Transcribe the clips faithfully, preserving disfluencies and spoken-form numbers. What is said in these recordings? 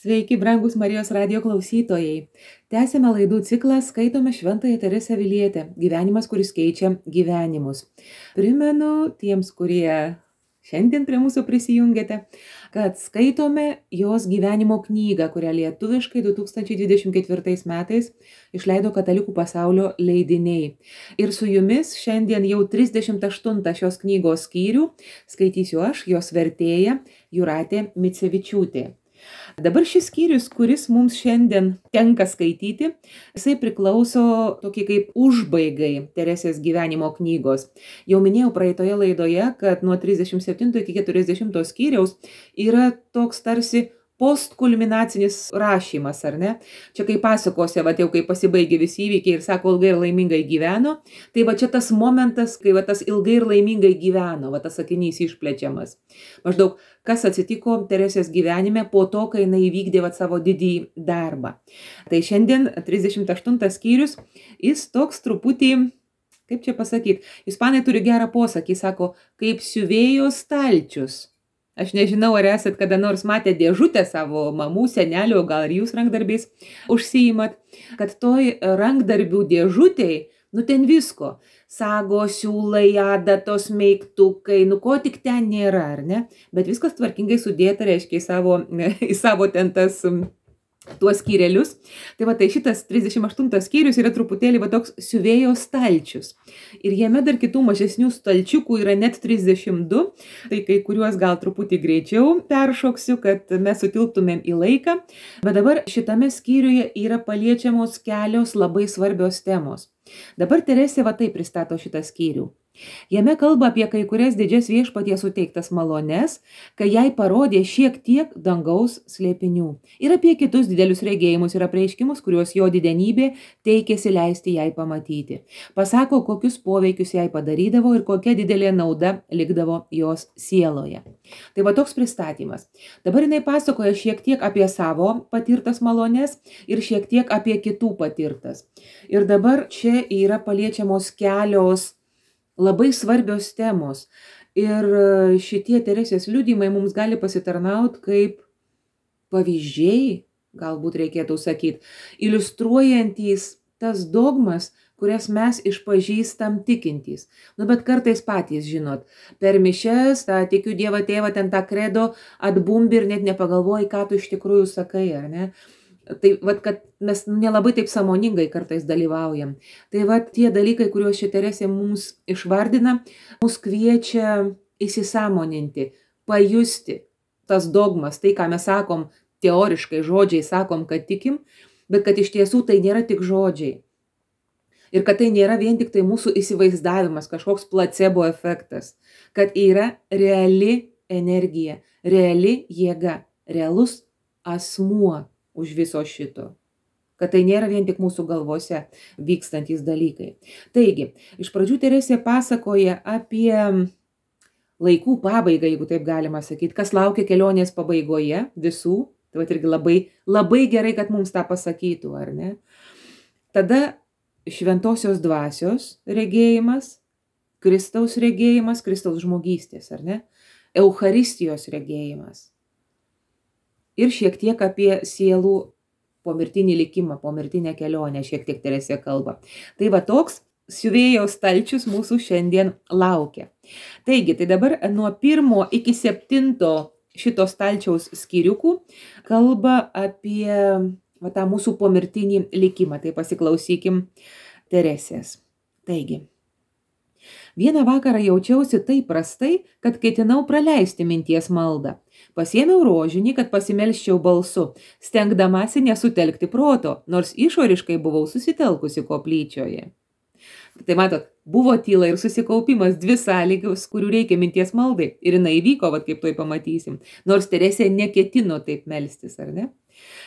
Sveiki, brangus Marijos radio klausytojai. Tęsėme laidų ciklą Skaitome Šventąją Teresę Avilietę. Gyvenimas, kuris keičia gyvenimus. Primenu tiems, kurie šiandien prie mūsų prisijungėte, kad skaitome jos gyvenimo knygą, kurią lietuviškai du tūkstančiai dvidešimt ketvirtais metais išleido Katalikų pasaulio leidiniai. Ir su jumis šiandien jau trisdešimt aštuntą šios knygos skyrių skaitysiu aš, jos vertėja Jūratė Micevičiūtė. Dabar šis skyrius, kuris mums šiandien tenka skaityti, jisai priklauso tokie kaip užbaigai Teresės gyvenimo knygos. Jau minėjau praeitoje laidoje, kad nuo trisdešimt septinto iki keturiasdešimto skyriaus yra toks tarsi postkulminacinis rašymas, ar ne? Čia kai pasakose, va, jau kai pasibaigė visi įvykiai ir sako ilgai ir laimingai gyveno, tai va čia tas momentas, kai va tas ilgai ir laimingai gyveno, va tas sakinys išplečiamas. Maždaug, kas atsitiko Teresės gyvenime po to, kai jinai įvykdė va savo didįjį darbą. Tai šiandien trisdešimt aštuntas skyrius, jis toks truputį, kaip čia pasakyti, ispanai turi gerą posakį, sako, kaip siuvėjo stalčius. Aš nežinau, ar esat kada nors matę dėžutę savo mamų, senelio, gal ir jūs rankdarbiais užsiimat, kad toj rankdarbių dėžutėj, nu ten visko, sagos, siūlai, adatos, meiktukai, nu ko tik ten nėra, ar ne? Bet viskas tvarkingai sudėta, reiškia, į savo, į savo ten tas tuos skyrelius. Tai va, tai šitas trisdešimt aštuntas skyrius yra truputėlį va toks siuvėjo stalčius. Ir jame dar kitų mažesnių stalčiukų yra net trisdešimt du, tai kai kuriuos gal truputį greičiau peršoksiu, kad mes sutilptumėm į laiką. Bet dabar šitame skyriuje yra paliečiamos kelios labai svarbios temos. Dabar Teresė va taip pristato šitą skyrių. Jame kalba apie kai kurias didžias viešpaties suteiktas malones, kai jai parodė šiek tiek dangaus slėpinių. Ir apie kitus didelius regėjimus ir apreiškimus, kuriuos jo didenybė teikėsi leisti jai pamatyti. Pasako, kokius poveikius jai padarydavo ir kokia didelė nauda likdavo jos sieloje. Tai va toks pristatymas. Dabar jinai pasakoja šiek tiek apie savo patirtas malones ir šiek tiek apie kitų patirtas. Ir dabar čia yra paliečiamos kelios labai svarbios temos. Ir šitie Teresės liudijimai mums gali pasitarnauti kaip pavyzdžiai, galbūt reikėtų sakyti, iliustruojantys tas dogmas, kurias mes išpažįstam tikintys. Nu, bet kartais patys, žinot, per mišias, tą tikiu Dievą tėvą, ten tą kredo atbumbi ir net nepagalvoji, ką tu iš tikrųjų sakai, ar ne? Tai vat, kad mes nelabai taip sąmoningai kartais dalyvaujam. Tai vat tie dalykai, kuriuos ši Teresė mums išvardina, mus kviečia įsisąmoninti, pajusti tas dogmas, tai ką mes sakom teoriškai, žodžiai sakom, kad tikim, bet kad iš tiesų tai nėra tik žodžiai. Ir kad tai nėra vien tik tai mūsų įsivaizdavimas, kažkoks placebo efektas, kad yra reali energija, reali jėga, realus asmuo už viso šito. Kad tai nėra vien tik mūsų galvose vykstantys dalykai. Taigi, iš pradžių Teresė pasakoja apie laikų pabaigą, jeigu taip galima sakyti, kas laukia kelionės pabaigoje visų. Tai va irgi labai, labai gerai, kad mums tą pasakytų, ar ne? Tada šventosios dvasios regėjimas, Kristaus regėjimas, Kristaus žmogystės, ar ne? Eucharistijos regėjimas. Ir šiek tiek apie sielų pomirtinį likimą, pomirtinę kelionę, šiek tiek Teresė kalba. Tai va toks siuvėjo stalčius mūsų šiandien laukia. Taigi, tai dabar nuo pirmo iki septinto šito stalčiaus skyriukų kalba apie va, tą mūsų pomirtinį likimą. Tai pasiklausykim Teresės. Taigi. Vieną vakarą jaučiausi taip prastai, kad ketinau praleisti minties maldą. Pasėmiau rožinį, kad pasimelščiau balsu, stengdamasi nesutelkti proto, nors išoriškai buvau susitelkusi koplyčioje. Tai matot, buvo tyla ir susikaupimas, dvi sąlygos, kurių reikia minties maldai. Ir jinai įvyko, vat kaip toj pamatysim. Nors Teresė neketino taip melstis, ar ne?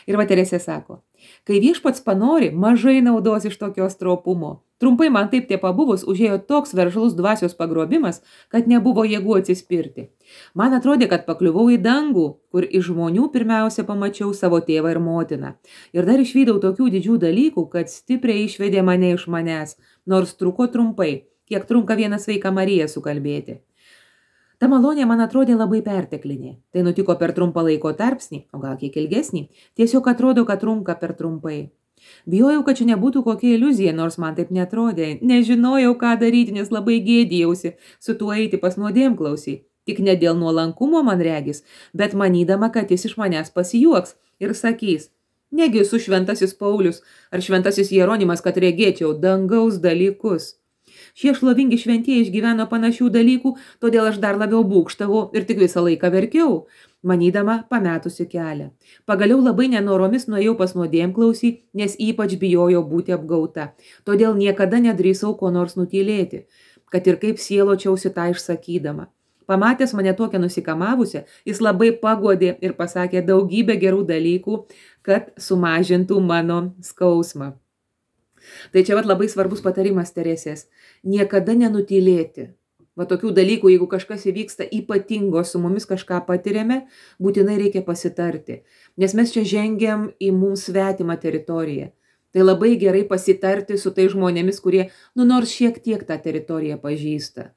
Ir va Teresė sako, kai viešpats panori, mažai naudos iš tokios stropumo. Trumpai man taip tie pabuvus užėjo toks veržlus dvasios pagrobimas, kad nebuvo jėgų atsispirti. Man atrodė, kad pakliuvau į dangų, kur iš žmonių pirmiausia pamačiau savo tėvą ir motiną. Ir dar išvydau tokių didžių dalykų, kad stipriai išvedė mane iš manęs, nors truko trumpai, kiek trunka vieną sveiką Mariją sukalbėti. Ta malonė man atrodė labai perteklinė. Tai nutiko per trumpą laiko tarpsnį, o gal kiek ilgesnį. Tiesiog atrodo, kad trunka per trumpai. Bijojau, kad čia nebūtų kokia iliuzija, nors man taip netrodė. Nežinojau, ką daryti, nes labai gėdijausi su tuo eiti pas nuodėmklausį. Tik ne dėl nuolankumo man regis, bet manydama, kad jis iš manęs pasijuoks ir sakys: negi su šventasis Paulius ar šventasis Jeronimas, kad regėčiau dangaus dalykus. Šie šlovingi šventieji išgyveno panašių dalykų, todėl aš dar labiau būkštavau ir tik visą laiką verkiau, manydama pametusi kelią. Pagaliau labai nenoromis nuėjau pas nuodėmklausį, nes ypač bijojau būti apgauta. Todėl niekada nedrįsau ko nors nutylėti, kad ir kaip sieločiausi tą išsakydama. Pamatęs mane tokią nusikamavusią, jis labai paguodė ir pasakė daugybę gerų dalykų, kad sumažintų mano skausmą. Tai čia vat labai svarbus patarimas Teresės. Niekada nenutylėti. Va tokių dalykų, jeigu kažkas įvyksta ypatingo, su mumis kažką patiriame, būtinai reikia pasitarti. Nes mes čia žengiam į mums svetimą teritoriją. Tai labai gerai pasitarti su tai žmonėmis, kurie, nu nors šiek tiek tą teritoriją pažįsta.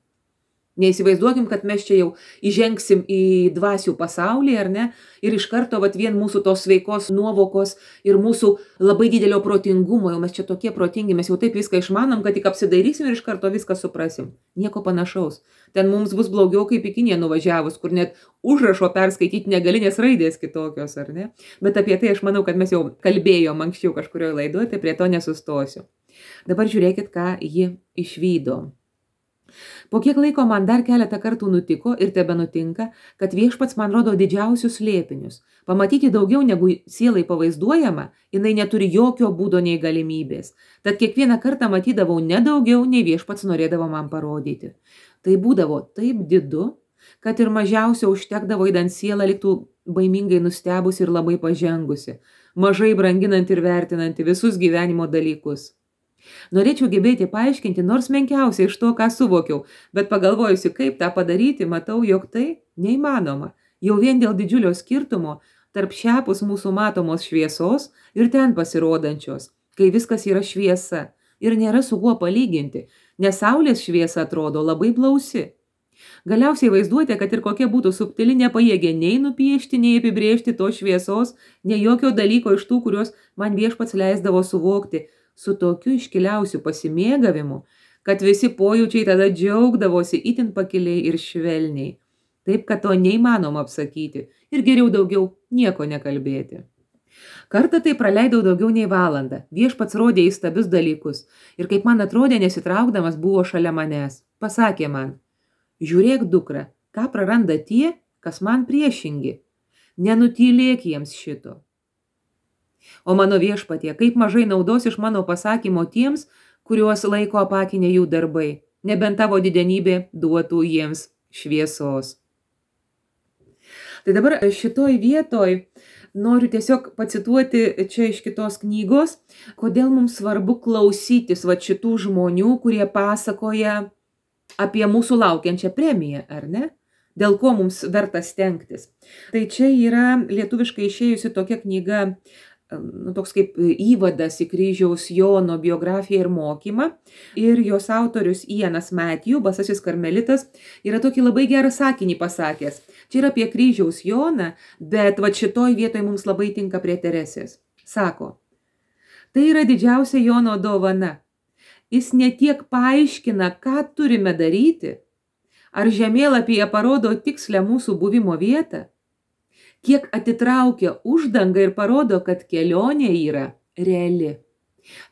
Neįsivaizduokim, kad mes čia jau įžengsim į dvasių pasaulį, ar ne? Ir iš karto vat vien mūsų tos sveikos nuovokos ir mūsų labai didelio protingumo, jau mes čia tokie protingi, mes jau taip viską išmanom, kad tik apsidairysim ir iš karto viską suprasim. Nieko panašaus. Ten mums bus blogiau kaip į Kiniją nuvažiavus, kur net užrašo perskaityti negali, nes raidės kitokios, ar ne? Bet apie tai aš manau, kad mes jau kalbėjom anksčiau kažkurioje laidoje, tai prie to nesustosiu. Dabar žiūrėkit, ką ji išvydo. Po kiek laiko man dar keletą kartų nutiko ir tebe nutinka, kad viešpats man rodo didžiausius slėpinius. Pamatyti daugiau negu sielai pavaizduojama, jinai neturi jokio būdo nei galimybės. Tad kiekvieną kartą matydavau ne daugiau, nei viešpats norėdavo man parodyti. Tai būdavo taip didu, kad ir mažiausia užtekdavo įdant sielą liktų baimingai nustebusi ir labai pažengusi, mažai branginanti ir vertinanti visus gyvenimo dalykus. Norėčiau gebėti paaiškinti nors menkiausiai iš to, ką suvokiau, bet pagalvojusi, kaip tą padaryti, matau, jog tai neįmanoma. Jau vien dėl didžiulio skirtumo tarp šiapus mūsų matomos šviesos ir ten pasirodančios, kai viskas yra šviesa ir nėra su kuo palyginti, nes saulės šviesa atrodo labai blausi. Galiausiai vaizduotė, kad ir kokia būtų subtili, nepajėgė nei nupiešti, nei apibrėžti tos šviesos, nei jokio dalyko iš tų, kuriuos man viešpats leisdavo suvokti, su tokiu iškiliausiu pasimėgavimu, kad visi pojūčiai tada džiaugdavosi itin pakiliai ir švelniai. Taip, kad to neįmanoma apsakyti ir geriau daugiau nieko nekalbėti. Kartą tai praleidau daugiau nei valandą. Viešpats rodė įstabius dalykus ir kaip man atrodė, nesitraukdamas buvo šalia manęs. Pasakė man: žiūrėk, dukra, ką praranda tie, kas man priešingi. Nenutylėk jiems šito. O mano viešpatie, kaip mažai naudos iš mano pasakymo tiems, kuriuos laiko apakinė jų darbai, nebent tavo didenybė duotų jiems šviesos. Tai dabar šitoj vietoj noriu tiesiog pacituoti čia iš kitos knygos, kodėl mums svarbu klausytis va šitų žmonių, kurie pasakoja apie mūsų laukiančią premiją, ar ne? Dėl ko mums verta stengtis. Tai čia yra lietuviškai išėjusi tokia knyga, nu, toks kaip įvadas į kryžiaus Jono biografiją ir mokymą. Ir jos autorius Ianas Matthew, basasis karmelitas, yra tokį labai gerą sakinį pasakęs. Čia yra apie kryžiaus Joną, bet va šitoj vietoj mums labai tinka prie Teresės. Sako: tai yra didžiausia Jono dovana. Jis ne tiek paaiškina, ką turime daryti, ar žemėlapyje parodo tikslę mūsų buvimo vietą, kiek atitraukia uždangą ir parodo, kad kelionė yra reali.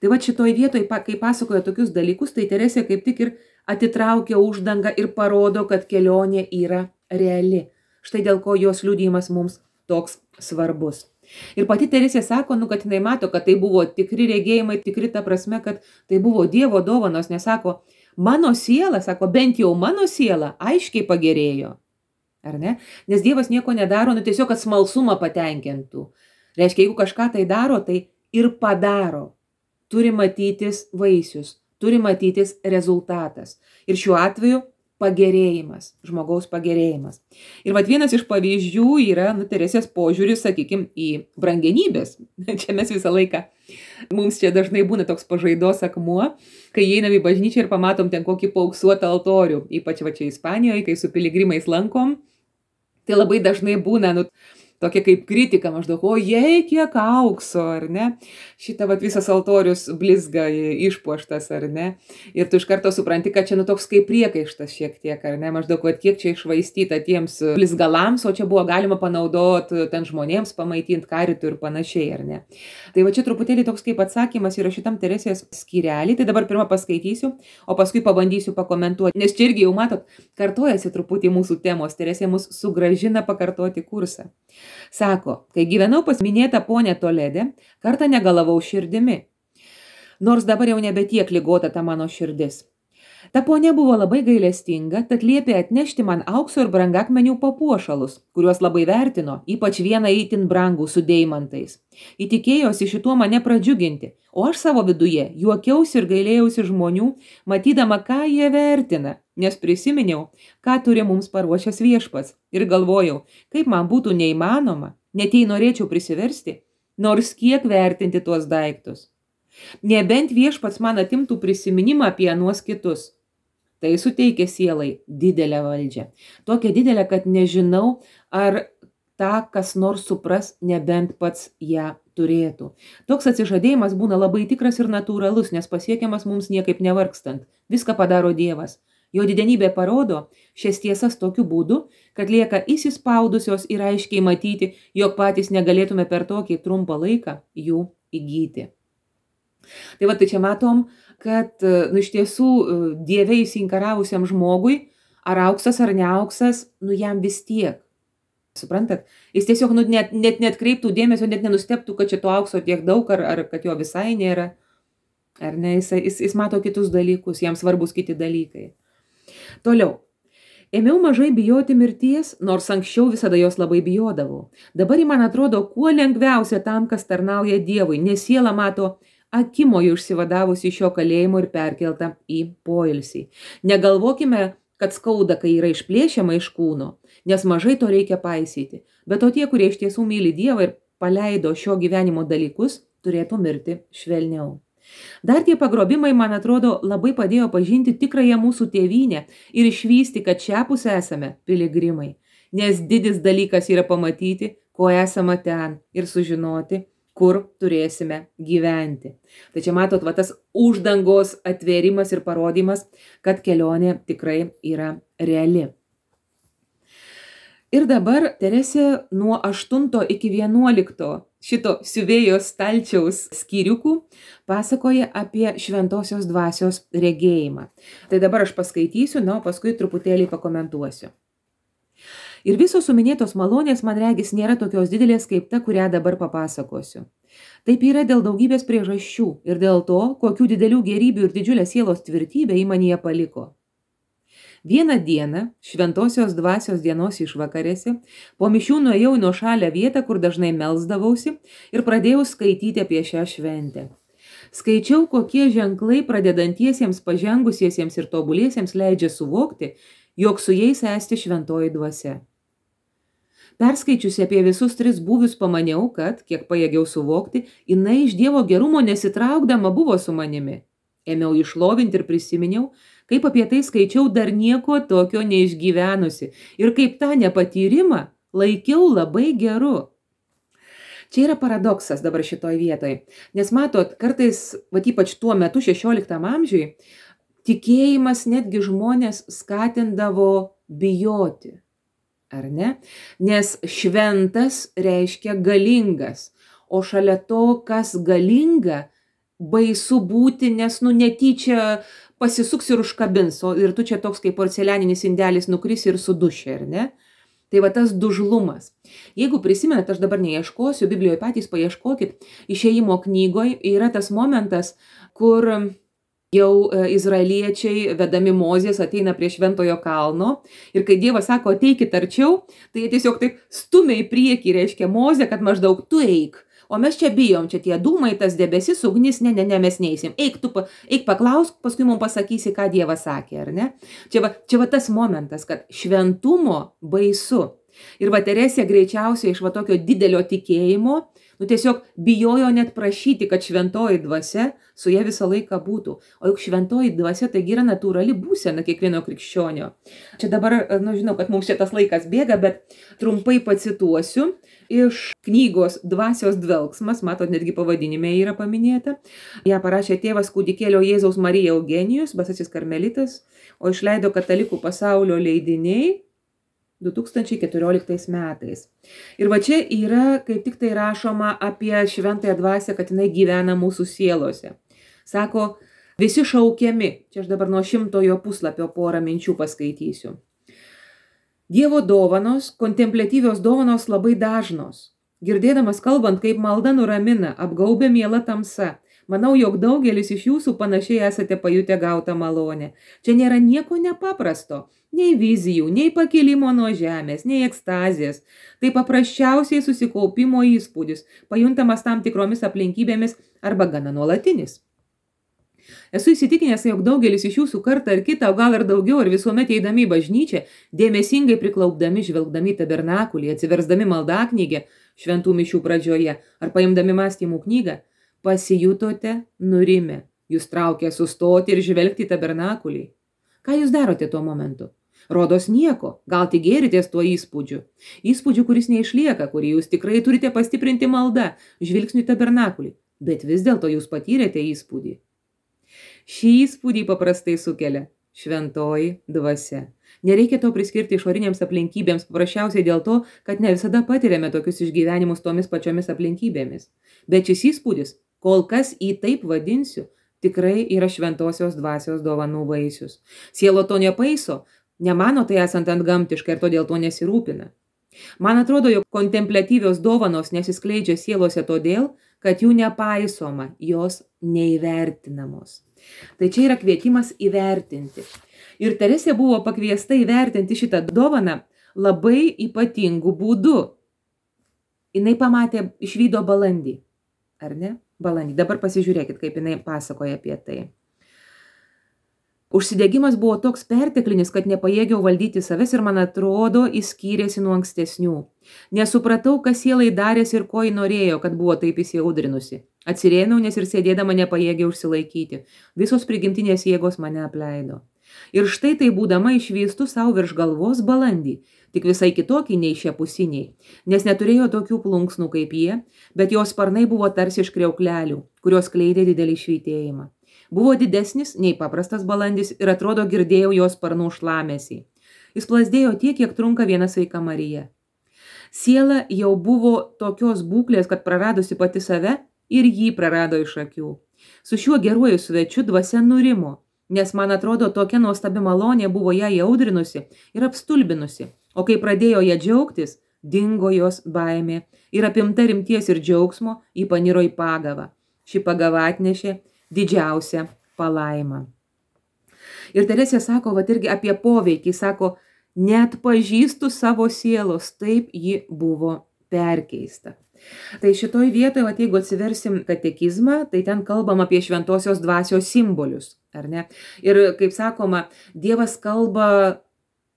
Tai va šitoj vietoj, kai pasakoja tokius dalykus, tai Teresė kaip tik ir atitraukia uždangą ir parodo, kad kelionė yra reali. Štai dėl ko jos liudijimas mums toks svarbus. Ir pati Teresė sako, nu, kad jinai mato, kad tai buvo tikri regėjimai, tikri ta prasme, kad tai buvo Dievo dovanos, nes sako, mano siela, sako, bent jau mano siela aiškiai pagerėjo. Ar ne? Nes Dievas nieko nedaro, nu tiesiog, kad smalsumą patenkintų. Reiškia, jeigu kažką tai daro, tai ir padaro. Turi matytis vaisius, turi matytis rezultatas. Ir šiuo atveju pagerėjimas, žmogaus pagerėjimas. Ir vat vienas iš pavyzdžių yra, nu, Teresės požiūris, sakykime, į brangenybės. Čia mes visą laiką, mums čia dažnai būna toks pažaidos akmuo, kai einam į bažnyčią ir pamatom ten kokį paauksuotą altorių, ypač va čia Ispanijoje, kai su piligrimais lankom, tai labai dažnai būna, nu, tokia kaip kritika maždaug, o jei kiek aukso, ar ne? Šitą vat visas altorius blizga išpuoštas, ar ne? Ir tu iš karto supranti, kad čia nu toks kaip priekaištas šiek tiek, ar ne? Maždaug, vat kiek čia išvaistyta tiems blizgalams, o čia buvo galima panaudoti ten žmonėms pamaitinti karitų ir panašiai, ar ne? Tai va čia truputėlį toks kaip atsakymas yra šitam Teresės skyrelį, tai dabar pirmą paskaitysiu, o paskui pabandysiu pakomentuoti, nes čia irgi jau matot, kartojasi truputį mūsų temos, Teresė mus sugrąžina pakartoti kursą. Sako, kai gyvenau pas minėtą ponę Toledė, kartą negalavau širdimi. Nors dabar jau nebe tiek ligota ta mano širdis. Ta ponė buvo labai gailestinga, tad liepė atnešti man aukso ir brangakmenių papuošalus, kuriuos labai vertino, ypač vieną itin brangų su deimantais. Įtikėjosi šituo mane pradžiuginti, o aš savo viduje juokiausi ir gailėjausi žmonių, matydama, ką jie vertina, nes prisiminiau, ką turi mums paruošęs viešpats, ir galvojau, kaip man būtų neįmanoma, net jei norėčiau prisiversti, nors kiek vertinti tuos daiktus. Nebent viešpats man atimtų prisiminimą apie anuos kitus. Tai suteikia sielai didelę valdžią. Tokią didelę, kad nežinau, ar tą kas nors supras, nebent pats ją turėtų. Toks atsižadėjimas būna labai tikras ir natūralus, nes pasiekiamas mums niekaip nevargstant. Viską padaro Dievas. Jo didenybė parodo šias tiesas tokiu būdu, kad lieka įsispaudusios ir aiškiai matyti, jog patys negalėtume per tokį trumpą laiką jų įgyti. Tai va, tai čia matom, kad, nu, iš tiesų, Dieve įsiinkaravusiam žmogui, ar auksas, ar neauksas, nu, jam vis tiek. Suprantat? Jis tiesiog, nu, net, net, net kreiptų dėmesio, net nenusteptų, kad čia to aukso tiek daug, ar, ar kad jo visai nėra. Ar ne? Jis, jis, jis mato kitus dalykus, jam svarbus kiti dalykai. Toliau. Ėmiau mažai bijoti mirties, nors anksčiau visada jos labai bijodavau. Dabar ji man atrodo kuo lengviausia tam, kas tarnauja Dievui, nes siela mato akimoju išsivadavusi iš šio kalėjimo ir perkelta į poilsį. Negalvokime, kad skauda, kai yra išplėšiama iš kūno, nes mažai to reikia paisyti. Bet o tie, kurie iš tiesų myli Dievą ir paleido šio gyvenimo dalykus, turėtų mirti švelniau. Dar tie pagrobimai, man atrodo, labai padėjo pažinti tikrąją mūsų tėvynę ir išvysti, kad šiapus esame piligrimai. Nes didis dalykas yra pamatyti, ko esama ten, ir sužinoti, kur turėsime gyventi. Tai čia matot, va, tas uždangos atvėrimas ir parodymas, kad kelionė tikrai yra reali. Ir dabar Teresė nuo aštunto iki vienuolikto šito siuvėjo stalčiaus skyriukų pasakoja apie šventosios dvasios regėjimą. Tai dabar aš paskaitysiu, na, o paskui truputėlį pakomentuosiu. Ir visos suminėtos malonės, man regis, nėra tokios didelės kaip ta, kurią dabar papasakosiu. Taip yra dėl daugybės priežasčių ir dėl to, kokių didelių gerybių ir didžiulę sielos tvirtybę į manyje paliko. Vieną dieną, šventosios dvasios dienos išvakarėse, po mišių nuėjau į nuošalią vietą, kur dažnai melsdavausi, ir pradėjau skaityti apie šią šventę. Skaičiau, kokie ženklai pradedantiesiems, pažengusiesiems ir tobuliesiems leidžia suvokti, jog su jais esti šventoji dvasia. Perskaičiusi apie visus tris būvius pamaniau, kad, kiek pajėgiau suvokti, jinai iš Dievo gerumo nesitraukdama buvo su manimi. Ėmiau išlovinti ir prisiminiau, kaip apie tai skaičiau dar nieko tokio neišgyvenusi ir kaip tą nepatyrimą laikiau labai geru. Čia yra paradoksas dabar šitoj vietoj, nes matot, kartais, va ypač tuo metu šešioliktam amžiui, tikėjimas netgi žmonės skatindavo bijoti. Ar ne? Nes šventas reiškia galingas, o šalia to, kas galinga, baisu būti, nes nu netyčia pasisuks ir užkabins, o ir tu čia toks kaip porcelianinis indelis nukris ir suduši, ar ne? Tai va tas dužlumas. Jeigu prisimenat, aš dabar neieškosiu, Biblijoje patys paieškokit, Išėjimo knygoje yra tas momentas, kur jau izraeliečiai, vedami Mozės, ateina prie šventojo kalno ir kai Dievas sako, ateikit arčiau, tai jie tiesiog taip stumia į priekį, reiškia Mozę, kad maždaug tu eik, O mes čia bijom, čia tie dūmai, tas debesis, ugnis, ne, ne, ne, mes neįsim. Eik, tu, pa, eik paklausk, paskui mums pasakysi, ką Dievas sakė, ar ne? Čia va, čia va tas momentas, kad šventumo baisu. Ir va Teresė greičiausiai iš va tokio didelio tikėjimo, nu tiesiog bijojo net prašyti, kad šventoji dvasia su ja visą laiką būtų. O juk šventoji dvasia taigi yra natūrali būsena kiekvieno krikščionio. Čia dabar, nu žinau, kad mums šitas laikas bėga, bet trumpai pacituosiu iš knygos Dvasios dvelksmas, matot, netgi pavadinime yra paminėta. Ją parašė tėvas kūdikėlio Jėzaus Marija Eugenijus, Basasis karmelitas, o išleido Katalikų pasaulio leidiniai du tūkstančiai keturioliktais metais. Ir va čia yra, kaip tik tai rašoma apie šventąją dvasią, kad jinai gyvena mūsų sielose. Sako, visi šaukiami, čia aš dabar nuo šimtojo puslapio porą minčių paskaitysiu. Dievo dovanos, kontempliatyvios dovanos labai dažnos. Girdėdamas kalbant, kaip malda nuramina, apgaubia miela tamsa. Manau, jog daugelis iš jūsų panašiai esate pajutę gautą malonę. Čia nėra nieko nepaprasto, nei vizijų, nei pakilimo nuo žemės, nei ekstazės. Tai paprasčiausiai susikaupimo įspūdis, pajuntamas tam tikromis aplinkybėmis arba gana nuolatinis. Esu įsitikinęs, jog daugelis iš jūsų kartą ar kitą, o gal ir daugiau, ar visuomet eidami į bažnyčią, dėmesingai priklaupdami, žvelgdami tabernakulį, atsiversdami maldaknygę šventų mišių pradžioje ar paimdami mąstymų knygą, pasijutote nurimę. Jūs traukia sustoti ir žvelgti į tabernakulį. Ką jūs darote tuo momentu? Rodos nieko, gal tik gėritės tuo įspūdžiu. Įspūdžiu, kuris neišlieka, kurį jūs tikrai turite pastiprinti maldą, žvilgsnių į tabernakulį. Bet vis dėlto jūs patyrėte įspūdį. Šį įspūdį paprastai sukelia šventoji dvasia. Nereikia to priskirti išorinėms aplinkybėms, paprasčiausiai dėl to, kad ne visada patiriame tokius išgyvenimus tomis pačiomis aplinkybėmis. Bet šis įspūdis, kol kas į taip vadinsiu, tikrai yra šventosios dvasios dovanų vaisius. Sielo to nepaiso, nemano tai esant antgamtiška ir todėl to nesirūpina. Man atrodo, jog kontempliatyvios dovanos nesiskleidžia sielose todėl, kad jų nepaisoma, jos neįvertinamos. Tai čia yra kvietimas įvertinti. Ir Teresė buvo pakviesta įvertinti šitą dovaną labai ypatingų būdų. Jinai pamatė, išvydo balandį. Ar ne? Balandį. Dabar pasižiūrėkit, kaip jinai pasakoja apie tai. Užsidegimas buvo toks perteklinis, kad nepajėgiau valdyti savęs ir man atrodo, jis skyrėsi nuo ankstesnių. Nesupratau, kas sielai darėsi ir ko ji norėjo, kad buvo taip įsiaudrinusi. Atsirėmiau, nes ir sėdėdama nepajėgiau užsilaikyti. Visos prigimtinės jėgos mane apleido. Ir štai tai būdama išvystų savo virš galvos balandį, tik visai kitokį nei šie pusiniai, nes neturėjo tokių plunksnų kaip jie, bet jos sparnai buvo tarsi iš kriauklelių, kurios kleidė didelį švytėjimą. Buvo didesnis nei paprastas balandis ir atrodo girdėjau jos sparnų šlamesį. Jis plazdėjo tiek, kiek trunka viena sveika Marija. Siela jau buvo tokios būklės, kad praradusi pati save ir jį prarado iš akių. Su šiuo geruoju svečiu dvasia nurimo, nes man atrodo tokia nuostabi malonė buvo ją įaudrinusi ir apstulbinusi, o kai pradėjo ją džiaugtis, dingo jos baimė ir apimta rimties ir džiaugsmo ji paniro į pagavą. Ši pagava atnešė didžiausią palaimą. Ir Teresė sako, va irgi apie poveikį, sako, net pažįstu savo sielos, taip ji buvo perkeista. Tai šitoj vietoje, va, jeigu atsiversim katekizmą, tai ten kalbam apie šventosios dvasios simbolius, ar ne? Ir kaip sakoma, Dievas kalba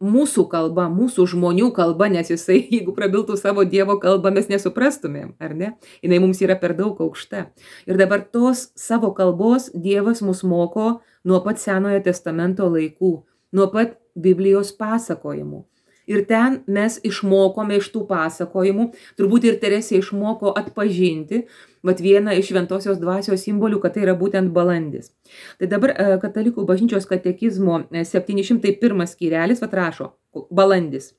mūsų kalba, mūsų žmonių kalba, nes jisai, jeigu prabiltų savo Dievo kalbą, mes nesuprastumėm, ar ne? Jinai mums yra per daug aukšta. Ir dabar tos savo kalbos Dievas mus moko nuo pat Senojo testamento laikų, nuo pat Biblijos pasakojimų. Ir ten mes išmokome iš tų pasakojimų, turbūt ir Teresė išmoko atpažinti, vat vieną iš šventosios dvasios simbolių, kad tai yra būtent balandis. Tai dabar Katalikų bažnyčios katekizmo septyni šimtai pirmas skyrelis vat rašo, balandis.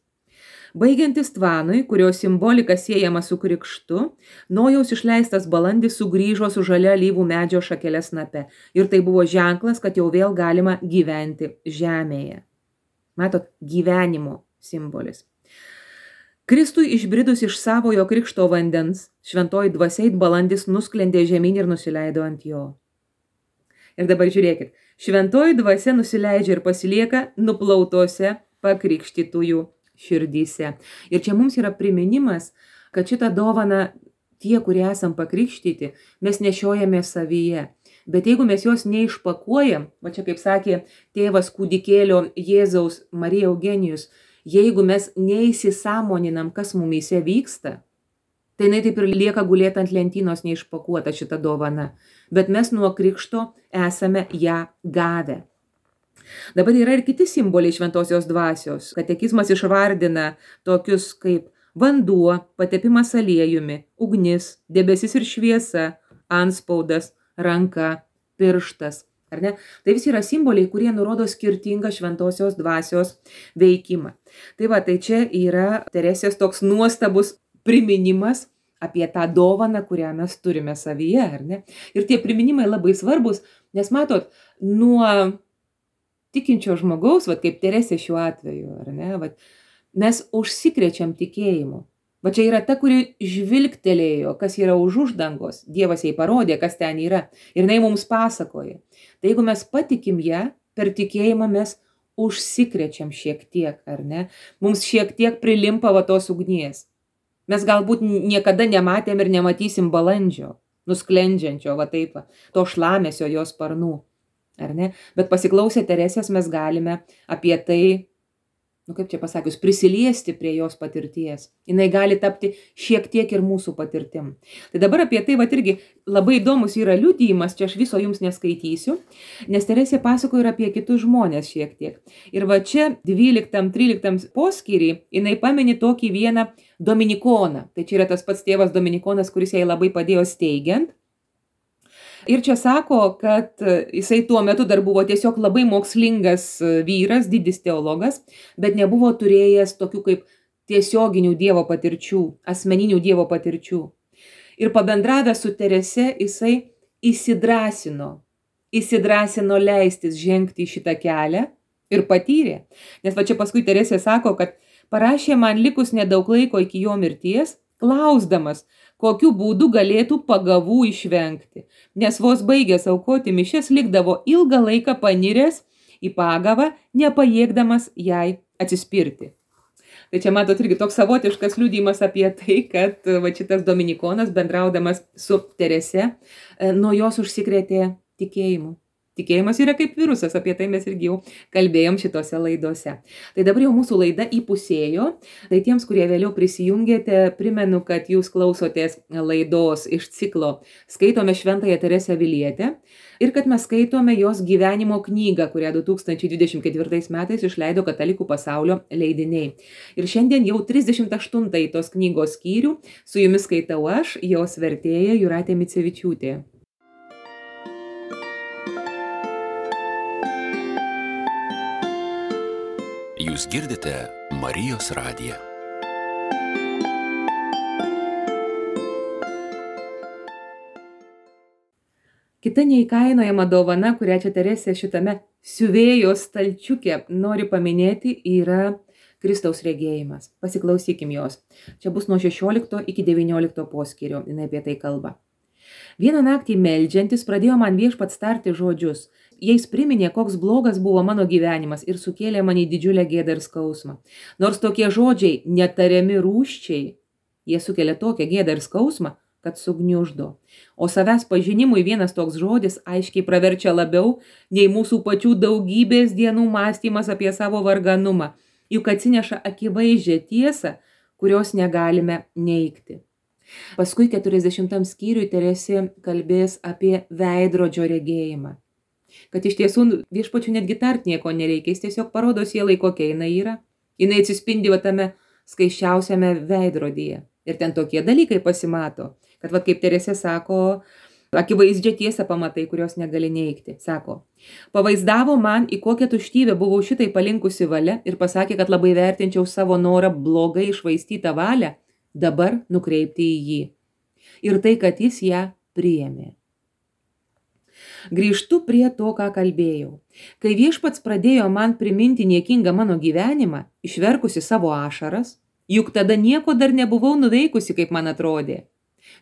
Baigiantis tvanui, kurio simbolika siejama su krikštu, Nojaus išleistas balandis sugrįžo su žalia alyvų medžio šakele snape. Ir tai buvo ženklas, kad jau vėl galima gyventi žemėje. Matot, gyvenimo simbolis. Kristui išbridus iš savojo krikšto vandens, šventoji dvasia it balandis nusklendė žemyn ir nusileido ant jo. Ir dabar žiūrėkit, šventoji dvasia nusileidžia ir pasilieka nuplautose pakrikštytųjų širdyse. Ir čia mums yra priminimas, kad šitą dovaną tie, kurie esam pakrikštyti, mes nešiojame savyje. Bet jeigu mes jos neišpakuojam, va čia kaip sakė tėvas kūdikėlio Jėzaus Marija Eugenijus, jeigu mes neįsisąmoninam, kas mumyse vyksta, tai jinai taip ir lieka gulėti ant lentynos neišpakuota šita dovana. Bet mes nuo krikšto esame ją gavę. Dabar yra ir kiti simboliai šventosios dvasios. Katekizmas išvardina tokius kaip vanduo, patepimas aliejumi, ugnis, debesis ir šviesa, antspaudas, ranka, pirštas. Ar ne? Tai visi yra simboliai, kurie nurodo skirtingą šventosios dvasios veikimą. Tai va, tai čia yra Teresės toks nuostabus priminimas apie tą dovaną, kurią mes turime savyje, ar ne? Ir tie priminimai labai svarbus, nes matot, nuo tikinčio žmogaus, va, kaip Teresė šiuo atveju, ar ne, va, mes užsikrečiam tikėjimu. Va čia yra ta, kuri žvilgtelėjo, kas yra už uždangos. Dievas jai parodė, kas ten yra. Ir jinai mums pasakoja. Tai jeigu mes patikim ją, per tikėjimą mes užsikrečiam šiek tiek, ar ne? Mums šiek tiek prilimpa va tos ugnies. Mes galbūt niekada nematėm ir nematysim balandžio, nusklendžiančio, va taip, va, to šlamesio jos sparnų. Ar ne? Bet pasiklausę Teresės mes galime apie tai, nu kaip čia pasakius, prisiliesti prie jos patirties. Jinai gali tapti šiek tiek ir mūsų patirtim. Tai dabar apie tai, va irgi labai įdomus yra liudijimas, čia aš viso jums neskaitysiu, nes Teresė pasakoja ir apie kitus žmonės šiek tiek. Ir va čia dvyliktam tryliktam poskyry jinai pamini tokį vieną dominikoną. Tai čia yra tas pats tėvas dominikonas, kuris jai labai padėjo steigiant. Ir čia sako, kad jisai tuo metu dar buvo tiesiog labai mokslingas vyras, didis teologas, bet nebuvo turėjęs tokių kaip tiesioginių Dievo patirčių, asmeninių Dievo patirčių. Ir pabendravęs su Terese, jisai įsidrąsino, įsidrąsino leistis žengti šitą kelią ir patyrė. Nes va čia paskui Teresė sako, kad parašė man likus nedaug laiko iki jo mirties, klausdamas, kokiu būdu galėtų pagavų išvengti, nes vos baigęs aukoti mišias likdavo ilgą laiką paniręs į pagavą, nepajėgdamas jai atsispirti. Tai čia matot irgi toks savotiškas liudijimas apie tai, kad va šitas dominikonas bendraudamas su Terese nuo jos užsikrėtė tikėjimu. Tikėjimas yra kaip virusas, apie tai mes irgi jau kalbėjom šitose laidose. Tai dabar jau mūsų laida įpusėjo. Tai tiems, kurie vėliau prisijungėte, primenu, kad jūs klausotės laidos iš ciklo Skaitome Šventąją Teresę Avilietę ir kad mes skaitome jos gyvenimo knygą, kurią du tūkstančiai dvidešimt ketvirtais metais išleido Katalikų pasaulio leidiniai. Ir šiandien jau trisdešimt aštuntąjį tos knygos skyrių su jumis skaitau aš, jos vertėja Jūratė Micevičiūtė. Jūs girdite Marijos radiją. Kita neįkainojama dovana, kurią čia Teresė šitame siuvėjos stalčiuke nori paminėti, yra Kristaus regėjimas. Pasiklausykim jos. Čia bus nuo šešiolikto iki devyniolikto poskyrio, jinai apie tai kalba. Vieną naktį meldžiantis pradėjo man viešpats tarti žodžius. Jais priminė, koks blogas buvo mano gyvenimas ir sukėlė man į didžiulę gėdą ir skausmą. Nors tokie žodžiai netariami rūsčiai, jie sukelia tokią gėdą ir skausmą, kad sugniuždo. O savęs pažinimui vienas toks žodis aiškiai praverčia labiau nei mūsų pačių daugybės dienų mąstymas apie savo varganumą, juk atsineša akivaizdžią tiesą, kurios negalime neigti. Paskui keturiasdešimtam skyriui Teresė kalbės apie veidrodžio regėjimą. Kad iš tiesų viešpačių netgi tart nieko nereikia, jis tiesiog parodo sielai, kokia jinai yra. Jinai atsispindi va tame skaiščiausiame veidrodyje. Ir ten tokie dalykai pasimato, kad va kaip Teresė sako, akivaizdžią tiesą pamatai, kurios negali neigti. Sako, pavaizdavo man, į kokią tuštybę buvau šitai palinkusi valia ir pasakė, kad labai vertinčiau savo norą blogai išvaistytą valią, dabar nukreipti į jį. Ir tai, kad jis ją priėmė. Grįžtu prie to, ką kalbėjau. Kai viešpats pradėjo man priminti niekingą mano gyvenimą, išverkusi savo ašaras, juk tada nieko dar nebuvau nuveikusi, kaip man atrodė.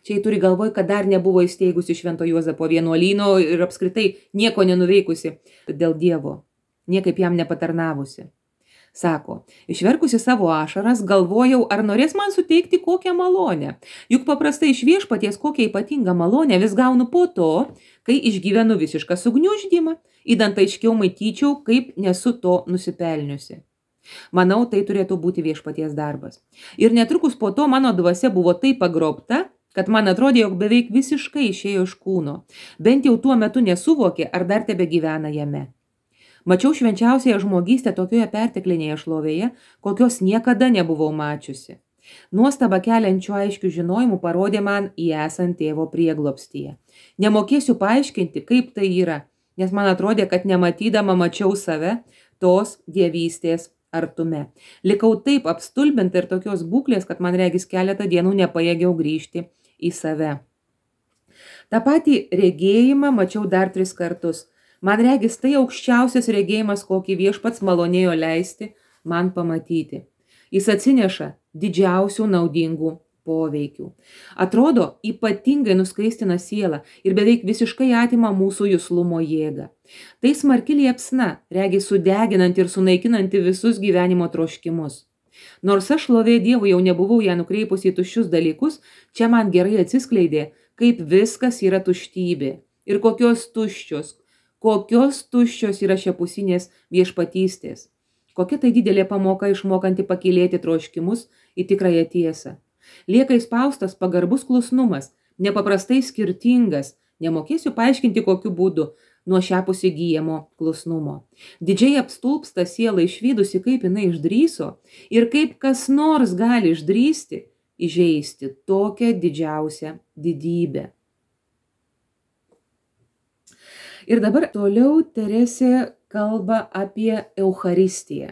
Čia jį turi galvoj, kad dar nebuvo įsteigusi Švento Juozapo vienuolyno ir apskritai nieko nenuveikusi dėl Dievo, niekaip jam nepatarnavusi. Sako, išverkusi savo ašaras, galvojau, ar norės man suteikti kokią malonę. Juk paprastai iš viešpaties kokią ypatingą malonę vis gaunu po to, kai išgyvenu visišką sugniuždymą, įdant aiškiau matyčiau, kaip nesu to nusipelniusi. Manau, tai turėtų būti viešpaties darbas. Ir netrukus po to mano dvasia buvo taip pagrobta, kad man atrodė, jog beveik visiškai išėjo iš kūno. Bent jau tuo metu nesuvokė, ar dar tebe gyvena jame. Mačiau švenčiausiąją žmogystę tokioje perteklinėje šlovėje, kokios niekada nebuvau mačiusi. Nuostaba keliančių aiškių žinojimų parodė man į esant tėvo prieglobstyje. Nemokėsiu paaiškinti, kaip tai yra, nes man atrodė, kad nematydama mačiau save tos dievystės artume. Likau taip apstulbinta ir tokios būklės, kad man regis keletą dienų nepajėgiau grįžti į save. Ta patį regėjimą mačiau dar tris kartus. Man regis tai aukščiausias regėjimas, kokį viešpats malonėjo leisti man pamatyti. Jis atsineša didžiausių naudingų poveikių. Atrodo, ypatingai nuskaistina sielą ir beveik visiškai atima mūsų juslumo jėgą. Tai smarki liepsna, regis sudeginanti ir sunaikinanti visus gyvenimo troškimus. Nors aš šlovė Dievui jau nebuvau ją nukreipusi į tuščius dalykus, čia man gerai atsiskleidė, kaip viskas yra tuštybė ir kokios tuščios, kokios tuščios yra šiapusinės viešpatystės. Kokia tai didelė pamoka išmokanti pakylėti troškimus į tikrąją tiesą. Lieka įspaustas pagarbus klusnumas, nepaprastai skirtingas, nemokėsiu paaiškinti kokiu būdu, nuo šiapus įgyjamo klusnumo. Didžiai apstulpsta siela išvydusi, kaip jinai išdryso ir kaip kas nors gali išdrysti, įžeisti tokią didžiausią didybę. Ir dabar toliau Teresė kalba apie Eucharistiją.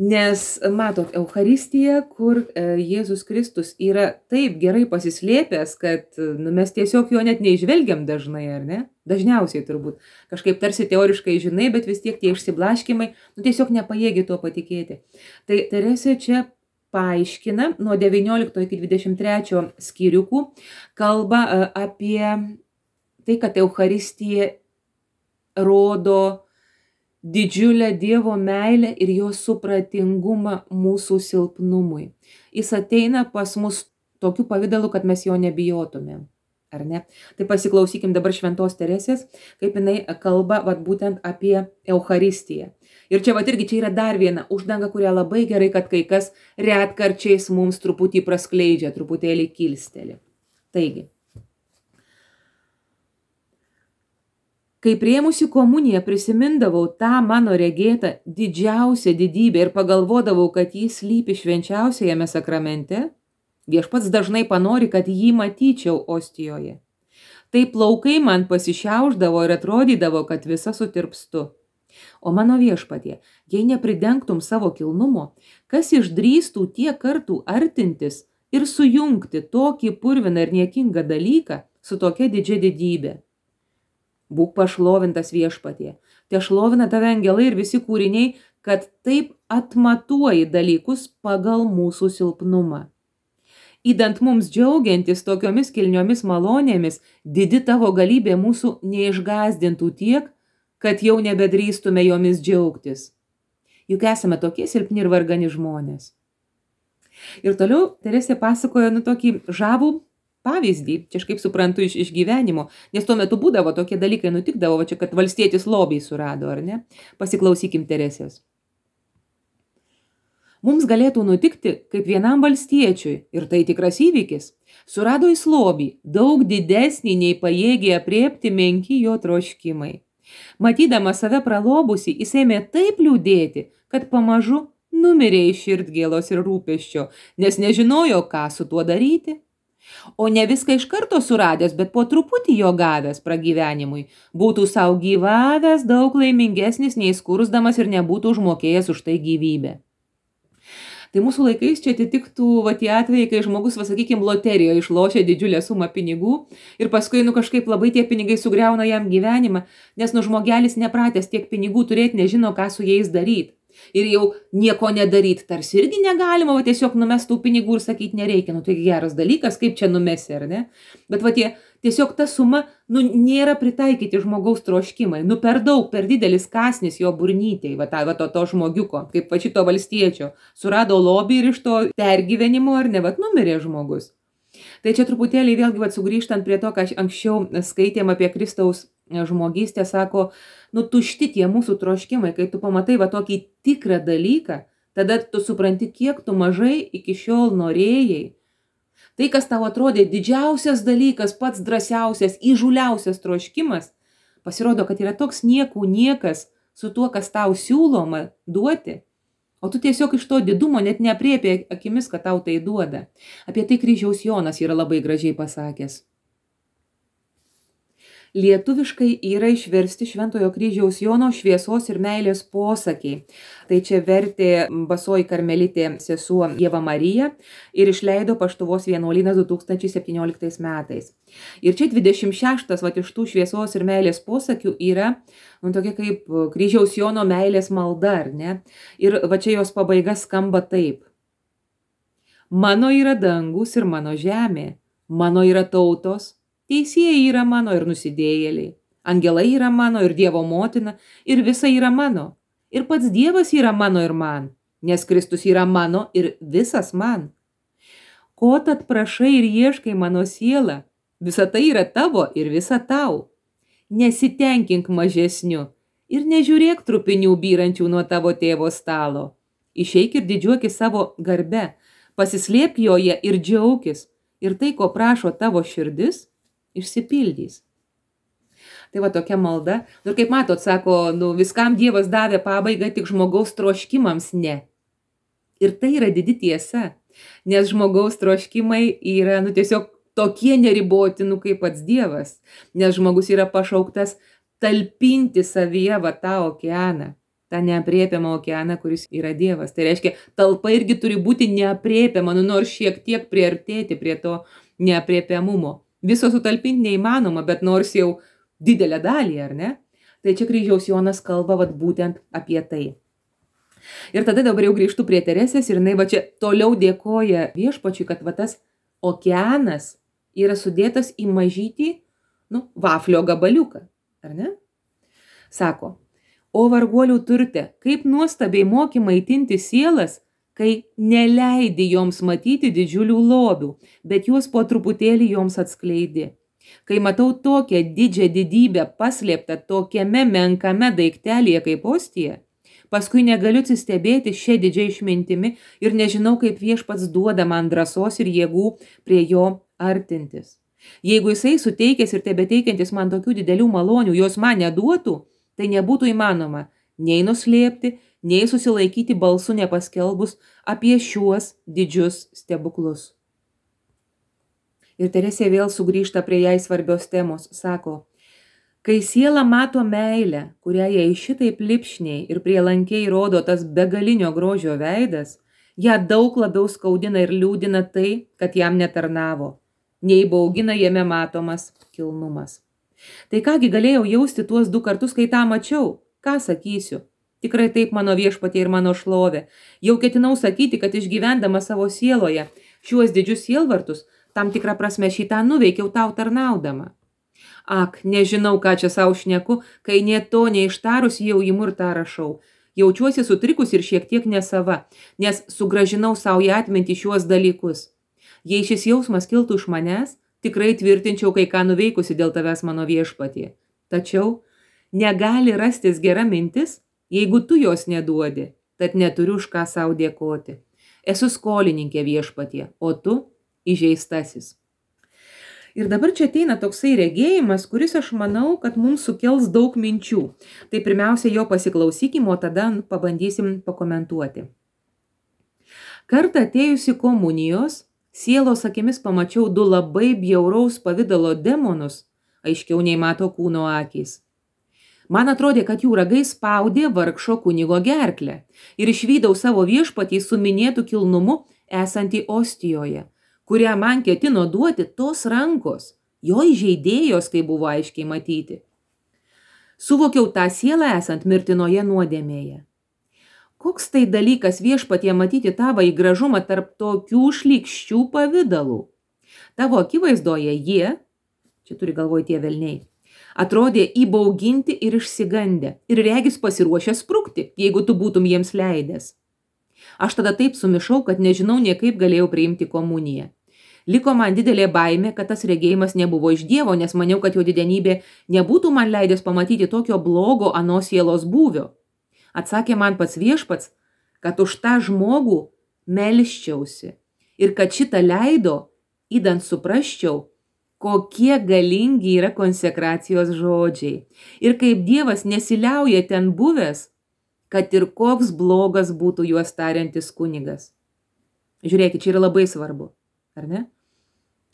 Nes matot, Eucharistija, kur Jėzus Kristus yra taip gerai pasislėpęs, kad nu, mes tiesiog jo net neižvelgiam dažnai, ar ne? Dažniausiai turbūt. Kažkaip tarsi teoriškai žinai, bet vis tiek tie išsiblaškimai, nu tiesiog nepajėgi tuo patikėti. Tai Teresė čia paaiškina nuo devyniolikto iki dvidešimt trečio skyriukų, kalba apie tai, kad Eucharistija rodo didžiulę Dievo meilę ir jo supratingumą mūsų silpnumui. Jis ateina pas mus tokiu pavidalu, kad mes jo nebijotumėm, ar ne? Tai pasiklausykim dabar šventos Teresės, kaip jinai kalba vat, būtent apie Eucharistiją. Ir čia vat irgi čia yra dar viena uždanga, kurią labai gerai, kad kai kas retkarčiais mums truputį praskleidžia, truputėlį kilsteli. Taigi, kai priėmusi komuniją prisimindavau tą mano regėtą didžiausią didybę ir pagalvodavau, kad jis slypi švenčiausiajame sakramente, viešpats dažnai panori, kad jį matyčiau ostijoje. Tai plaukai man pasišiaušdavo ir atrodydavo, kad visa sutirpstu. O mano viešpatie, jei nepridengtum savo kilnumo, kas išdrįstų tiek kartų artintis ir sujungti tokį purviną ir niekingą dalyką su tokia didžia didybė. Būk pašlovintas viešpatie, te šlovina tave angelai ir visi kūriniai, kad taip atmatuoji dalykus pagal mūsų silpnumą. Įdant mums džiaugiantis tokiomis kilniomis malonėmis, didi tavo galybė mūsų neišgazdintų tiek, kad jau nebedrįstume jomis džiaugtis. Juk esame tokie silpni ir vargani žmonės. Ir toliau Teresė pasakojo nu tokį žavų pavyzdį, čia aš kaip suprantu iš, iš gyvenimo, nes tuo metu būdavo tokie dalykai nutikdavo, va čia, kad valstietis lobį surado, ar ne? Pasiklausykim Teresės. Mums galėtų nutikti kaip vienam valstiečiui, ir tai tikras įvykis, surado jis lobį, daug didesnį nei pajėgė apriepti menki jo troškimai. Matydama save pralobusi, jis ėmė taip liūdėti, kad pamažu numirė iš širdgėlos ir rūpesčio, nes nežinojo, ką su tuo daryti. O ne viską iš karto suradęs, bet po truputį jo gavęs pragyvenimui, būtų savo gyvavęs daug laimingesnis nei skursdamas ir nebūtų užmokėjęs už tai gyvybę. Tai mūsų laikais čia atitiktų va tie atvejai, kai žmogus, va sakykim, loterijoje išlošia didžiulę sumą pinigų ir paskui nu kažkaip labai tie pinigai sugriauna jam gyvenimą, nes nu žmogelis nepratęs tiek pinigų turėti, nežino, ką su jais daryti. Ir jau nieko nedaryt, tarsi irgi negalima, va tiesiog numest tų pinigų ir sakyti nereikia, nu tai geras dalykas, kaip čia numesi, ar ne? Bet va tie, tiesiog ta suma, nu, nėra pritaikyti žmogaus troškimai, nu per daug, per didelis kasnis jo burnytei, va, ta, va to, to žmogiuko, kaip va šito valstiečio, surado lobį ir iš to pergyvenimo, ar ne, va, numirė žmogus. Tai čia truputėlį vėlgi va sugrįžtant prie to, ką anksčiau skaitėm apie Kristaus žmogystę, sako, nu tušti tie mūsų troškimai, kai tu pamatai va tokį tikrą dalyką, tada tu supranti, kiek tu mažai iki šiol norėjai. Tai, kas tau atrodė didžiausias dalykas, pats drąsiausias, įžūliausias troškimas, pasirodo, kad yra toks niekų niekas su tuo, kas tau siūloma duoti, o tu tiesiog iš to didumo net neaprėpė akimis, kad tau tai duoda. Apie tai Kryžiaus Jonas yra labai gražiai pasakęs. Lietuviškai yra išversti Šventojo Kryžiaus Jono šviesos ir meilės posakiai. Tai čia vertė Basoji karmelitė sesuo Ieva Marija ir išleido Paštuvos vienuolynas du tūkstančiai septynioliktais metais. Ir čia dvidešimt šeštas vat iš tų šviesos ir meilės posakių yra, nu, tokia kaip Kryžiaus Jono meilės malda, ar ne? Ir va čia jos pabaiga skamba taip. Mano yra dangus ir mano žemė, mano yra tautos, teisėjai yra mano ir nusidėjėliai, angelai yra mano ir Dievo motina, ir visa yra mano, ir pats Dievas yra mano ir man, nes Kristus yra mano ir visas man. Ko tad prašai ir ieškai mano siela, visa tai yra tavo ir visa tau. Nesitenkink mažesniu ir nežiūrėk trupinių byrančių nuo tavo tėvo stalo. Išeik ir didžiuokis savo garbe, pasislėpk joje ir džiaukis, ir tai, ko prašo tavo širdis, išsipildys. Tai va tokia malda. Ir kaip matot, sako, nu, viskam Dievas davė pabaigą, tik žmogaus troškimams ne. Ir tai yra didi tiesa, nes žmogaus troškimai yra, nu, tiesiog tokie neriboti, nu, kaip pats Dievas. Nes žmogus yra pašauktas talpinti savyje va tą okeaną, tą neaprėpiamą okeaną, kuris yra Dievas. Tai reiškia, talpa irgi turi būti neaprėpiama, nu, nors šiek tiek priartėti prie to neaprėpiamumo. Viso sutalpinti neįmanoma, bet nors jau didelę dalį, ar ne? Tai čia Kryžiaus Jonas kalba vat būtent apie tai. Ir tada dabar jau grįžtu prie Teresės ir jinai va čia toliau dėkoja Viešpačiui, kad va tas okeanas yra sudėtas į mažytį, nu, vaflio gabaliuką, ar ne? Sako, o varguolių turte, kaip nuostabiai moki maitinti sielas, kai neleidi joms matyti didžiulių lobių, bet juos po truputėlį joms atskleidi. Kai matau tokią didžią didybę paslėptą tokiame menkame daiktelėje kaip ostija, paskui negaliu atsistebėti šią didžią išmintimi ir nežinau, kaip Viešpats duoda man drąsos ir jėgų prie jo artintis. Jeigu jisai suteikęs ir tebeteikiantis man tokių didelių malonių, jos man neduotų, tai nebūtų įmanoma nei nuslėpti, nei susilaikyti balsu nepaskelbus apie šiuos didžius stebuklus. Ir Teresė vėl sugrįžta prie jai svarbios temos, sako, kai siela mato meilę, kurią jai šitaip lipšniai ir prielankiai rodo tas begalinio grožio veidas, ją daug labiau skaudina ir liūdina tai, kad jam netarnavo, nei baugina jame matomas kilnumas. Tai kągi galėjau jausti tuos du kartus, kai tą mačiau, ką sakysiu? Tikrai taip mano Viešpatie ir mano šlovė. Jau ketinau sakyti, kad išgyvendama savo sieloje šiuos didžius sielvartus, tam tikrą prasme šitą nuveikiau tau tarnaudama. Ak, nežinau, ką čia savo šneku, kai nie to neištarus jau imu ir tą rašau. Jaučiuosi sutrikus ir šiek tiek nesava, nes sugražinau savo į atmintį šiuos dalykus. Jei šis jausmas kiltų iš manęs, tikrai tvirtinčiau kai ką nuveikusi dėl tavęs mano Viešpatie. Tačiau negali rastis gera mintis, jeigu tu jos neduodi, tad neturiu už ką savo dėkoti. Esu skolininkė Viešpatie, o tu įžeistasis. Ir dabar čia ateina toksai regėjimas, kuris aš manau, kad mums sukels daug minčių. Tai pirmiausia jo pasiklausykim, o tada pabandysim pakomentuoti. Kartą atėjusi komunijos, sielos akimis pamačiau du labai bjauraus pavidalo demonus, aiškiau nei mato kūno akys. Man atrodė, kad jų ragai spaudė vargšo kunigo gerklę ir išvydau savo Viešpatį su minėtu kilnumu esantį ostijoje, kurią man ketino duoti tos rankos, jo įžeidėjos, kai buvo aiškiai matyti. Suvokiau tą sielą esant mirtinoje nuodėmėje. Koks tai dalykas viešpatie matyti tavo į gražumą tarp tokių šlykščių pavydalų. Tavo akivaizdoje jie, čia turi galvoje tie velniai, atrodė įbauginti ir išsigandę ir regis pasiruošę sprukti, jeigu tu būtum jiems leidęs. Aš tada taip sumišau, kad nežinau niekaip galėjau priimti komuniją. Liko man didelė baimė, kad tas regėjimas nebuvo iš Dievo, nes maniau, kad jo didenybė nebūtų man leidęs pamatyti tokio blogo anos sielos būvio. Atsakė man pats viešpats, kad už tą žmogų melsčiausi ir kad šitą leido, įdant suprasčiau, kokie galingi yra konsekracijos žodžiai ir kaip Dievas nesiliauja ten buvęs, kad ir koks blogas būtų juos tariantis kunigas. Žiūrėkit, čia yra labai svarbu, ar ne?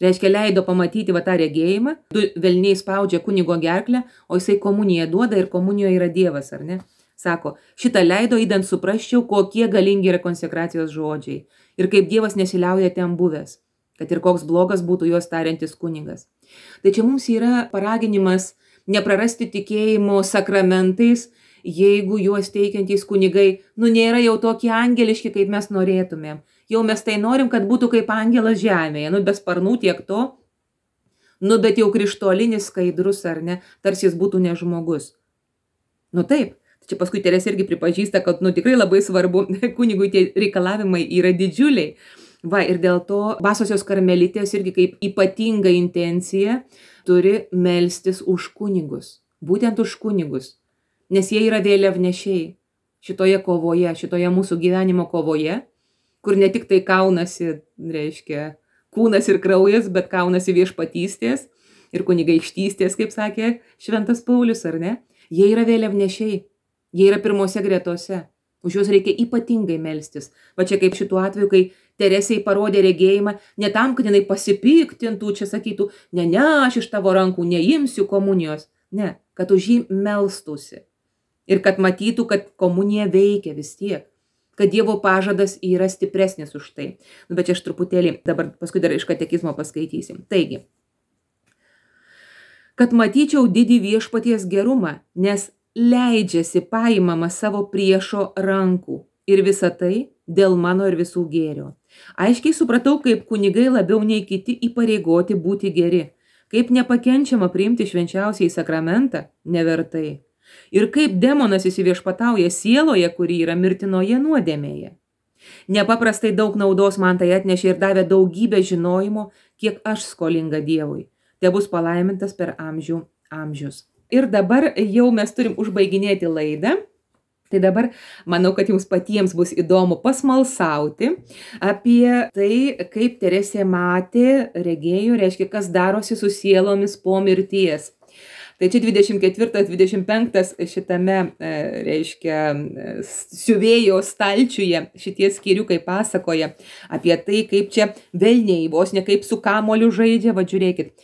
Reiškia, leido pamatyti va tą regėjimą, du velniai spaudžia kunigo gerklę, o jisai komuniją duoda ir komunijoje yra Dievas, ar ne? Sako, šitą leido įdant suprasčiau, kokie galingi yra konsekracijos žodžiai ir kaip Dievas nesiliauja ten buvęs, kad ir koks blogas būtų juos tariantis kunigas. Tai čia mums yra paraginimas neprarasti tikėjimo sakramentais, jeigu juos teikiantys kunigai, nu nėra jau tokie angeliški, kaip mes norėtumėm. Jau mes tai norim, kad būtų kaip angelas žemėje, nu be sparnų tiek to, nu bet jau krištolinis skaidrus, ar ne, tarsi jis būtų ne žmogus. Nu taip, čia paskui Teresė irgi pripažįsta, kad nu tikrai labai svarbu, kunigui tie reikalavimai yra didžiuliai. Va, ir dėl to basosios karmelitės irgi kaip ypatinga intencija turi melstis už kunigus, būtent už kunigus, nes jie yra vėliavnešiai šitoje kovoje, šitoje mūsų gyvenimo kovoje, kur ne tik tai kaunasi, reiškia, kūnas ir kraujas, bet kaunasi viešpatystės ir kunigaikštystės, kaip sakė šventas Paulius, ar ne? Jie yra vėliavnešiai, jie yra pirmose gretose, už juos reikia ypatingai melstis. Va čia kaip šituo atveju, kai Teresei parodė regėjimą, ne tam, kad jinai pasipiktintų, čia sakytų, ne, ne, aš iš tavo rankų neimsiu komunijos, ne, kad už jį melstųsi ir kad matytų, kad komunija veikia vis tiek, kad Dievo pažadas yra stipresnis už tai. Nu, bet čia aš truputėlį dabar paskui dar iš katekizmo paskaitysim. Taigi, kad matyčiau didį viešpaties gerumą, nes leidžiasi paimama savo priešo rankų ir visa tai dėl mano ir visų gėrio. Aiškiai supratau, kaip kunigai labiau nei kiti įpareigoti būti geri, kaip nepakenčiama priimti švenčiausiai sakramentą nevertai ir kaip demonas įsiviešpatauja sieloje, kuri yra mirtinoje nuodėmėje. Nepaprastai daug naudos man tai atnešė ir davė daugybę žinojimo, kiek aš skolinga Dievui. Te bus palaimintas per amžių amžius. Ir dabar jau mes turim užbaiginėti laidą. Tai dabar manau, kad jums patiems bus įdomu pasmalsauti apie tai, kaip Teresė matė, regėjo, reiškia, kas darosi su sielomis po mirties. Tai čia dvidešimt ketvirtas dvidešimt penktas šitame, reiškia, siuvėjo stalčiuje šitie skyriukai pasakoja apie tai, kaip čia velniai vos ne kaip su kamoliu žaidžia. Va žiūrėkit,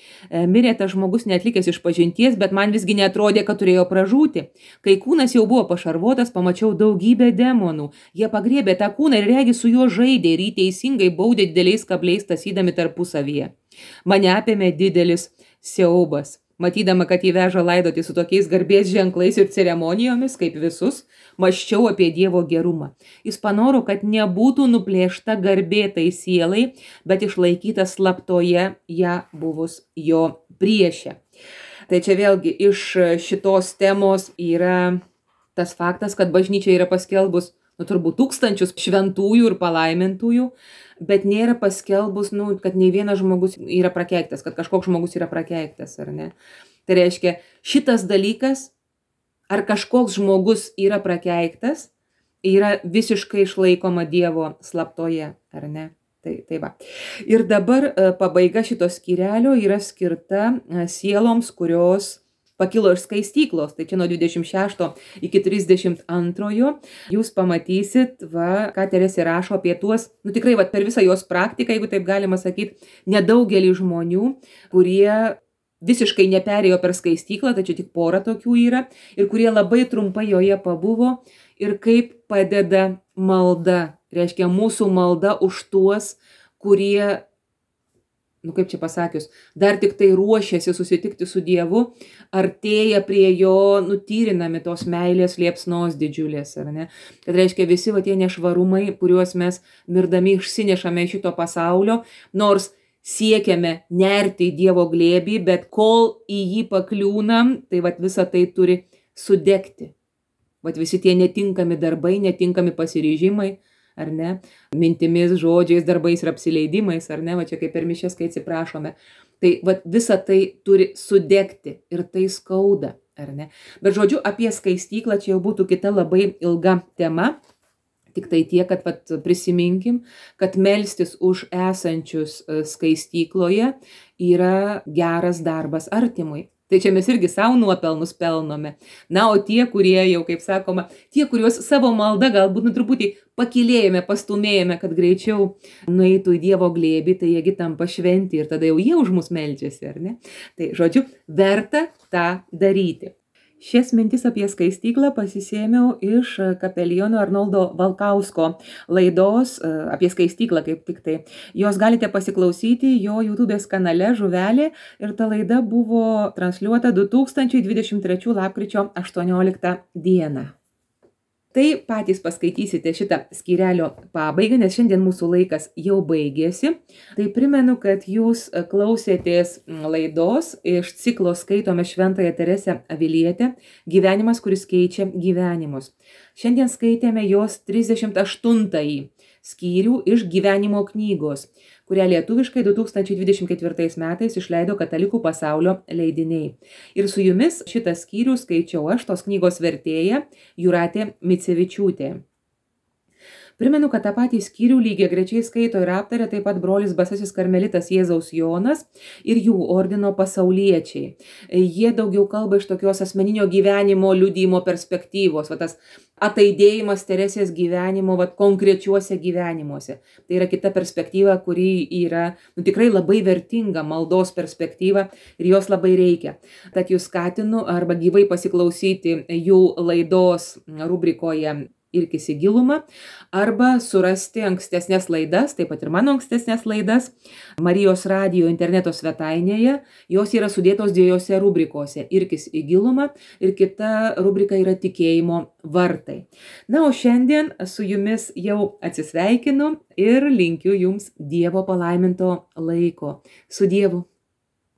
mirė tas žmogus neatlikęs išpažinties, bet man visgi neatrodė, kad turėjo pražūti. Kai kūnas jau buvo pašarvotas, pamačiau daugybę demonų. Jie pagriebė tą kūną ir regi su juo žaidė ir jį teisingai baudė dideliais kabliais tasydami tarpusavyje. Mane apėmė didelis siaubas. Matydama, kad jį veža laidoti su tokiais garbės ženklais ir ceremonijomis, kaip visus, mąsčiau apie Dievo gerumą. Jis panoro, kad nebūtų nuplėšta garbė tai sielai, bet išlaikyta slaptoje ją buvus jo priešė. Tai čia vėlgi iš šitos temos yra tas faktas, kad bažnyčia yra paskelbus, nu, turbūt tūkstančius šventųjų ir palaimintųjų, bet nėra paskelbus, nu, kad nei vienas žmogus yra prakeiktas, kad kažkoks žmogus yra prakeiktas, ar ne? Tai reiškia, šitas dalykas, ar kažkoks žmogus yra prakeiktas, yra visiškai išlaikoma Dievo slaptoje, ar ne? Tai, tai va. Ir dabar pabaiga šito skyrelio yra skirta sieloms, kurios pakilo iš skaistyklos, tai čia nuo dvidešimt šešto iki trisdešimt antrojo jūs pamatysit, va, ką Teresė rašo apie tuos, nu tikrai va, per visą jos praktiką, jeigu taip galima sakyti, nedaugelį žmonių, kurie visiškai neperėjo per skaistyklą, tačiau tik pora tokių yra, ir kurie labai trumpai joje pabuvo, ir kaip padeda malda, reiškia mūsų malda už tuos, kurie nu kaip čia pasakius, dar tik tai ruošiasi susitikti su Dievu, artėja prie jo, nutyrinami tos meilės liepsnos didžiulės, ar ne? Kad reiškia visi va tie nešvarumai, kuriuos mes mirdami išsinešame iš šito pasaulio, nors siekiame nerti į Dievo glėbį, bet kol į jį pakliūnam, tai vat visa tai turi sudegti. Vat visi tie netinkami darbai, netinkami pasiryžimai, ar ne, mintimis, žodžiais, darbais ir apsileidimais, ar ne, va čia kaip per mišias, kai atsiprašome. Tai vat visa tai turi sudegti ir tai skauda, ar ne. Bet žodžiu, apie skaistyklą čia jau būtų kita labai ilga tema. Tik tai tiek, kad vat, prisiminkim, kad melstis už esančius skaistykloje yra geras darbas artimui. Tai čia mes irgi savo nuopelnus pelnome. Na, o tie, kurie jau, kaip sakoma, tie, kuriuos savo malda galbūt nu truputį pakilėjome, pastumėjome, kad greičiau nueitų į Dievo glėbį, tai jiegi tampa šventi ir tada jau jie už mus meldžiasi, ar ne? Tai, žodžiu, verta tą daryti. Šias mintis apie skaistyklą pasisėmiau iš kapeliono Arnoldo Valkausko laidos apie skaistyklą kaip tik tai. Jos galite pasiklausyti jo YouTube'ės kanale Žuvelė ir ta laida buvo transliuota du tūkstančiai dvidešimt trečių lapkričio aštuonioliktą dieną. Tai patys paskaitysite šitą skyrelio pabaigą, nes šiandien mūsų laikas jau baigėsi. Tai primenu, kad jūs klausėtės laidos iš ciklo Skaitome Šventąją Teresę Avilietę Gyvenimas, kuris keičia gyvenimus. Šiandien skaitėme jos trisdešimt aštuntąjį skyrių iš gyvenimo knygos, kurią lietuviškai du tūkstančiai dvidešimt ketvirtais metais išleido Katalikų pasaulio leidiniai. Ir su jumis šitą skyrių skaičiau aš, tos knygos vertėja Jūratė Micevičiūtė. Primenu, kad tą patį skyrių lygiagrečiai skaito ir aptarė taip pat brolis Basasis karmelitas Jėzaus Jonas ir jų ordino pasauliečiai. Jie daugiau kalba iš tokios asmeninio gyvenimo liudijimo perspektyvos, va tas ataidėjimas Teresės gyvenimo va, konkrečiuose gyvenimuose. Tai yra kita perspektyva, kuri yra nu, tikrai labai vertinga, maldos perspektyva ir jos labai reikia. Tad jūs skatinu arba gyvai pasiklausyti jų laidos rubrikoje Irkis į gilumą, arba surasti ankstesnės laidas, taip pat ir mano ankstesnės laidas, Marijos radijo interneto svetainėje. Jos yra sudėtos dviejose rubrikose – Irkis į gilumą ir kita rubrika yra Tikėjimo vartai. Na, o šiandien su jumis jau atsisveikinu ir linkiu jums Dievo palaiminto laiko. Su Dievu.